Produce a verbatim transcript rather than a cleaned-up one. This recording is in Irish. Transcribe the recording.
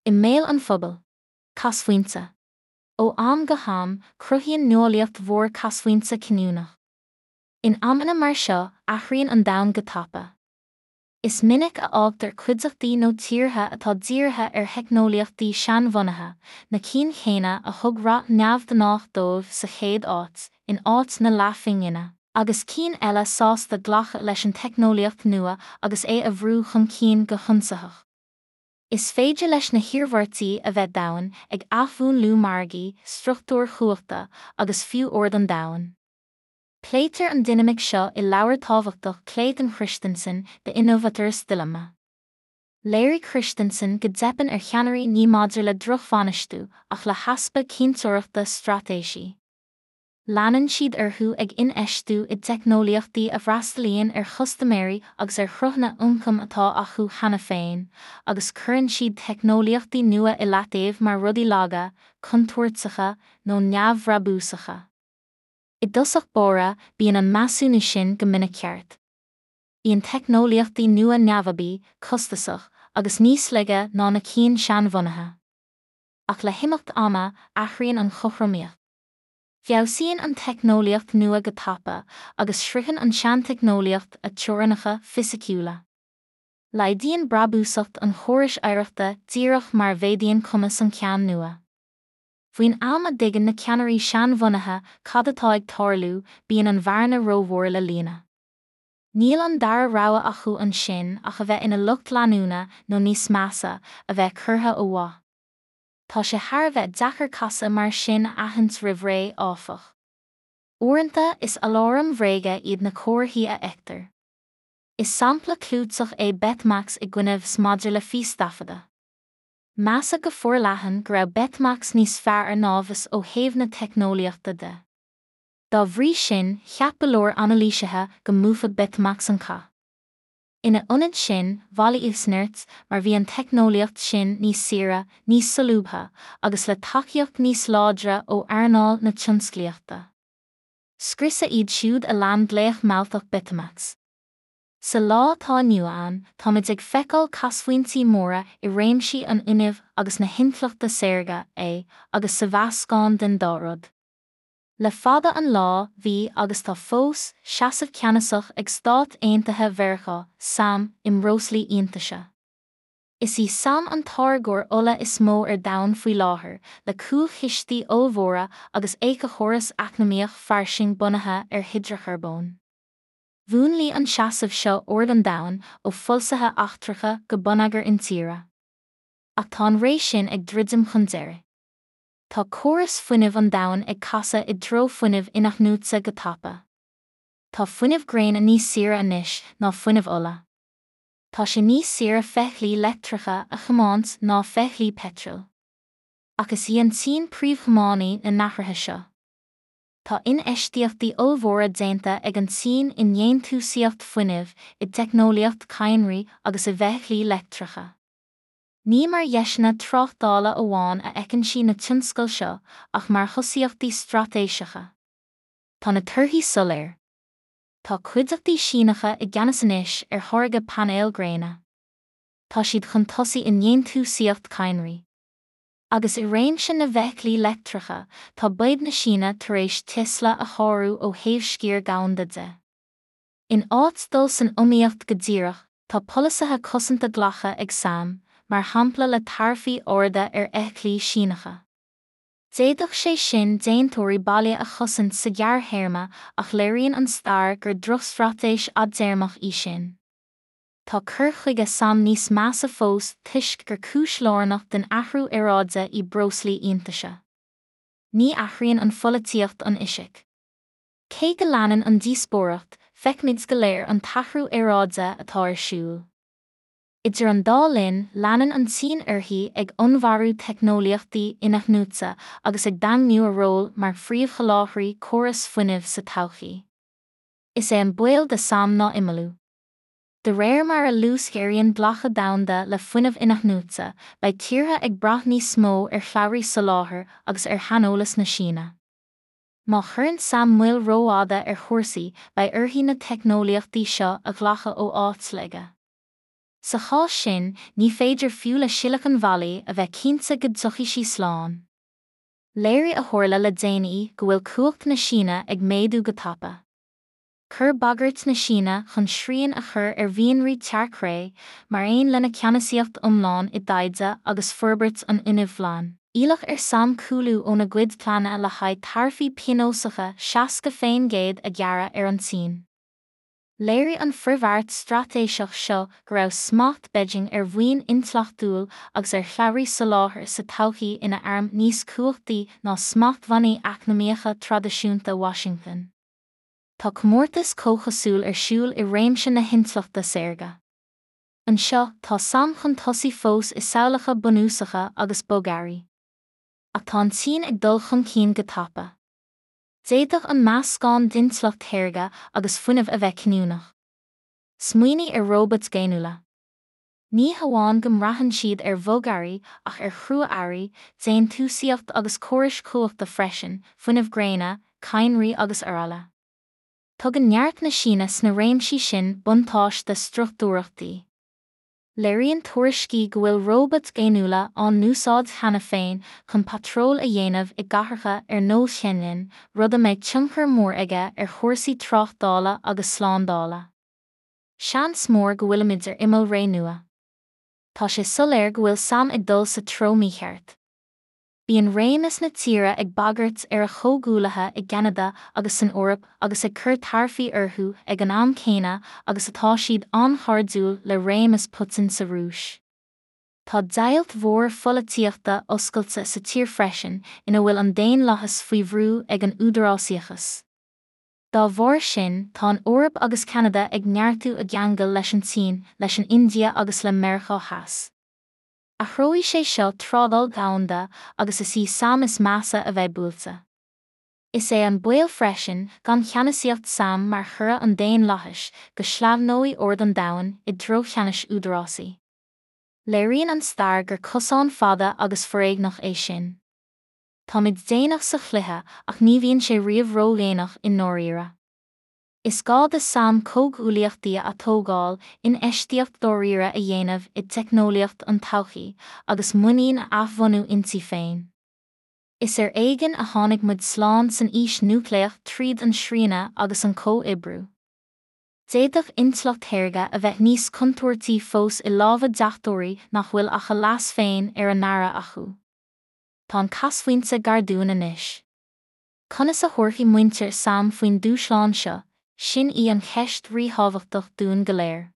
I mbéal an phobail. Casphointe. Ó am go ham, cruthaíonn nuálaíocht mhór casphointe cinniúnach. In amanna mar seo, athraíonn an domhan go tapa. Is minic a fhágtar cuideachtaí nó tíortha atá dírithe ar theicneolaíochtaí seanbhunaithe, na cinn chéanna a thug rath neamhghnách dóibh sa chéad áit, in áit na leathphingine, agus cinn eile sásta glacadh leis an teicneolaíocht nua agus é a bhrú chun cinn go hionsaitheach. Is féidir leis na hiarmhairtí a bheith domhain, ag athmhúnlú margaí, struchtúir chumhachta, agus fiú ord an domhain. Pléitear an dinimic seo i leabhar tábhachtach Clayton Christensen The Innovator's Dilemma. Léirigh Christensen go dteipeann ar cheannairí ní maidir le drochbhainistiú ach le heaspa cinnteoireachta straitéisí. Leanann siad orthu ag infheistiú i dteicneolaíochtaí a bhfreastalaíonn ar chustaiméirí agus ar shruthanna ioncaim atá acu cheana féin, agus cuireann siad teicneolaíochtaí nua i leataobh mar rudaí laga, contúirteacha nó neamhbhrabúsacha. I dtosach báire, bíonn an measúnú sin go minic ceart. Bíonn teicneolaíochtaí nua neamhaibí, costasach, agus níos laige ná na cinn seanbhunaithe. Ach le himeacht ama, athraíonn an chothromaíocht. Feabhsaíonn an teicneolaíocht nua go tapa, agus sroicheann an tseanteicneolaíocht a teorainneacha fisiciúla. Laghdaíonn brabúsacht an chórais oidhreachta díreach mar a mhéadaíonn cumas an ceann nua. Faoin am a dtuigeann na ceannairí seanbhunaithe cad atá ag tarlú, bíonn an bhearna rómhór le líonadh. Níl an dara rogha acu ansin ach a bheith ina lucht leanúna nó níos measa, a bheith curtha ó mhaith. Tá sé thar a bheith deacair casadh mar sin a aithint roimh ré, áfach. Uaireanta, is aláraim bhréige iad na comharthaí a fheictear. Is sampla clúiteach é Betamax i gcoinne V H S maidir le fístaifeadadh. Measadh go forleathan go raibh Betamax níos fearr ná V H S ó thaobh na teicneolaíochta de. Dá bhrí sin, cheap go leor anailísithe go mbuafadh Betamax an cath. Ina ionad sin, bhailigh V H S nirt, mar bhí an teicneolaíocht sin níos saoire, níos solúbtha, agus le tacaíocht níos láidre ó earnáil na tionsclaíochta. Scriosadh iad siúd a lean glaoch mealltach Betamax. Sa lá atá inniu ann, táimid ag feiceáil casphointí móra i réimsí an fhuinnimh agus na hintleachta saorga, é, agus sa mheascán den dá rud. Le fada an lá, bhí, agus tá fós, seasamh ceannasach ag Stáit Aontaithe Mheiriceá, S A M, i mbreoslaí iontaise. Is í S A M an táirgeoir ola is mó ar domhan faoi láthair, le cúlchistí ollmhóra agus éiceachóras eacnamaíoch fairsing bunaithe ar hidreacharbóin. Mhúnlaigh an seasamh seo ord an domhain, ó pholasaithe eachtracha go bonneagar intíre. Ach tá an ré sin ag druidim chun deiridh. Tá córas fuinnimh an domhain ag casadh i dtreo fuinnimh inathnuaite go tapa. Tá fuinneamh gréine níos saoire anois ná fuinneamh ola. Tá sé níos saoire feithiclí leictreacha a thiomáint ná feithiclí peitril. Ach is í an tSín príomhthiománaí na n-athruithe seo. Tá infheistíochtaí ollmhóra déanta ag an tSín i ndéantúsaíocht fuinnimh, i dteicneolaíocht cadhnraí agus i bhfeithiclí leictreacha. Ní mar dheiseanna tráchtála amháin a fheiceann sí na tionscail seo ach mar thosaíochtaí straitéiseacha. Tá na torthaí soiléir. Tá cuideachtaí Síneacha i gceannas anois ar tháirgeadh painéal gréine. Tá siad chun tosaigh i ndéantúsaíocht cadhnraí. Agus i réimse na bhfeithiclí leictreacha, tá B Y D na Síne tar éis Tesla a shárú ó thaobh sciar domhanda de. In áit dul san iomaíocht go díreach, tá polasaithe cosanta glactha ag S A M, mar shampla le taraifí arda ar fheithiclí Síneacha. D'fhéadfadh sé sin déantóirí baile a chosaint sa ghearrthéarma ach léiríonn an stair gur drochstraitéis fhadtéarmach í sin. Tá cur chuige S A M níos measa fós toisc gur cúis lárnach den athrú aeráide í breoslaí iontaise. Ní athraíonn an pholaitíocht an fhisic. Cé go leanann an díospóireacht, feicimid go léir an t-athrú aeráide atá ar siúl. Idir an dá linn, leanann an tSín uirthi ag onnmhairiú teicneolaíochtaí inathnuaite agus ag daingniú a ról mar phríomhsholáthraí córas fuinnimh sa todhchaí. Is é an baol do S A M ná imeallú. De réir mar a luasghéaraíonn glacadh domhanda le fuinneamh inathnuaite, beidh tíortha ag brath níos mó ar shlabhraí soláthair agus ar shaineolas na Síne. Má chuireann S A M moill rófhada ar chúrsaí, beidh uirthi na teicneolaíochtaí seo a ghlacadh ó áit laige. Sa chás sin, ní féidir fiú le Silicon Valley a bheith cinnte go dtiocfaidh sí slán. Léirigh a tharla le déanaí go bhfuil cumhacht na Síne ag méadú go tapa. Chuir bagairt na Síne chun srian a chur ar mhianraí tearc-ré, mar aon lena ceannasaíocht iomlán i dtaighde agus forbairt an fhuinnimh ghlain, iallach ar sam cúlú óna gcuid pleananna le haghaidh taraifí pionósacha seasca faoin gcéad a ghearradh ar an tSín. Léirigh an frithbheart straitéiseach seo go raibh smacht Beijing ar mhaoin intleachtúil agus ar shlabhraí soláthair sa todhchaí ina arm níos cumhachtaí ná smachtbhannaí eacnamaíocha traidisiúnta Washington. Tá comórtas comhchosúil ar siúl i réimse na hintleachta saorga. Anseo, tá sam chun tosaigh fós i samhlacha bunúsacha agus bogearraí. Ach tá an tSín ag dul chun cinn go tapa. D'fhéadfadh an meascán d'intleacht shaorga agus fuinneamh a bheith cinniúnach. Smaoinigh ar róbait ghéiniúla. Ní hamháin go mbraitheann siad ar bhogearraí ach ar chrua-earraí, déantúsaíocht agus córais chumhachta freisin, fuinneamh gréine, cadhnraí agus araile. Tugann neart na Síne sna réimsí sin buntáiste struchtúrach di. Léiríonn tuairiscí go bhfuil róbait ghéiniúla á n-úsáid cheana féin chun patról a dhéanamh i gcathracha ar nós Shenzhen, rud a mbeidh tionchar mór aige ar chúrsaí tráchtála agus slándála. Seans mór go bhfuilimid ar imeall ré nua. Tá sé soiléir go bhfuil sam ag dul sa treo mícheart. Bíonn réimeas na tíre ag bagairt ar a chomhghuaillithe i gCeanada agus san Eoraip agus ag cur taraifí orthu ag an am céanna agus atá siad an-chairdiúil le réimeas Putin sa Rúis. Tá deighilt mhór pholaitíochta oscailte sa tír freisin ina bhfuil an daonlathas faoi bhrú ag an údarásaíochas. Dá bharr sin, tá an Eoraip agus Ceanada ag neartú a gceangal leis an tSín, leis an India agus le Meiriceá Theas. Athróidh sé seo trádáil dhomhanda agus is í sam is measa a bheidh buailte. Is é an baol freisin, gan cheannasaíocht sam mar churadh an daonlathais, go sleamhnóidh ord an domhain i dtreo cheannais údarásaí. Léiríonn an stair gur cosán fada agus foréigneach é sin. Táimid déanach sa chluiche ach ní bhíonn sé riamh ródhéanach i ndáiríre. Is gá do sam comhghuaillíochtaí a atógáil, infheistíocht dáiríre a dhéanamh i dteicneolaíocht an todhchaí, agus muinín a athbhunú inti féin. Is ar éigean a tháinig muid slán san aois núicléach tríd an srianadh agus an comhoibriú. D'fhéadfadh intleacht shaorga a bheith níos contúirtí fós i lámha deachtóirí nach bhfuil ach a leas féin ar a n-aire acu. Tá an casphointe gar dúinn anois. Conas a thabharfaidh muintir sam faoin dúshlán seo? Sin í an cheist ríthábhachtach dúinn go léir.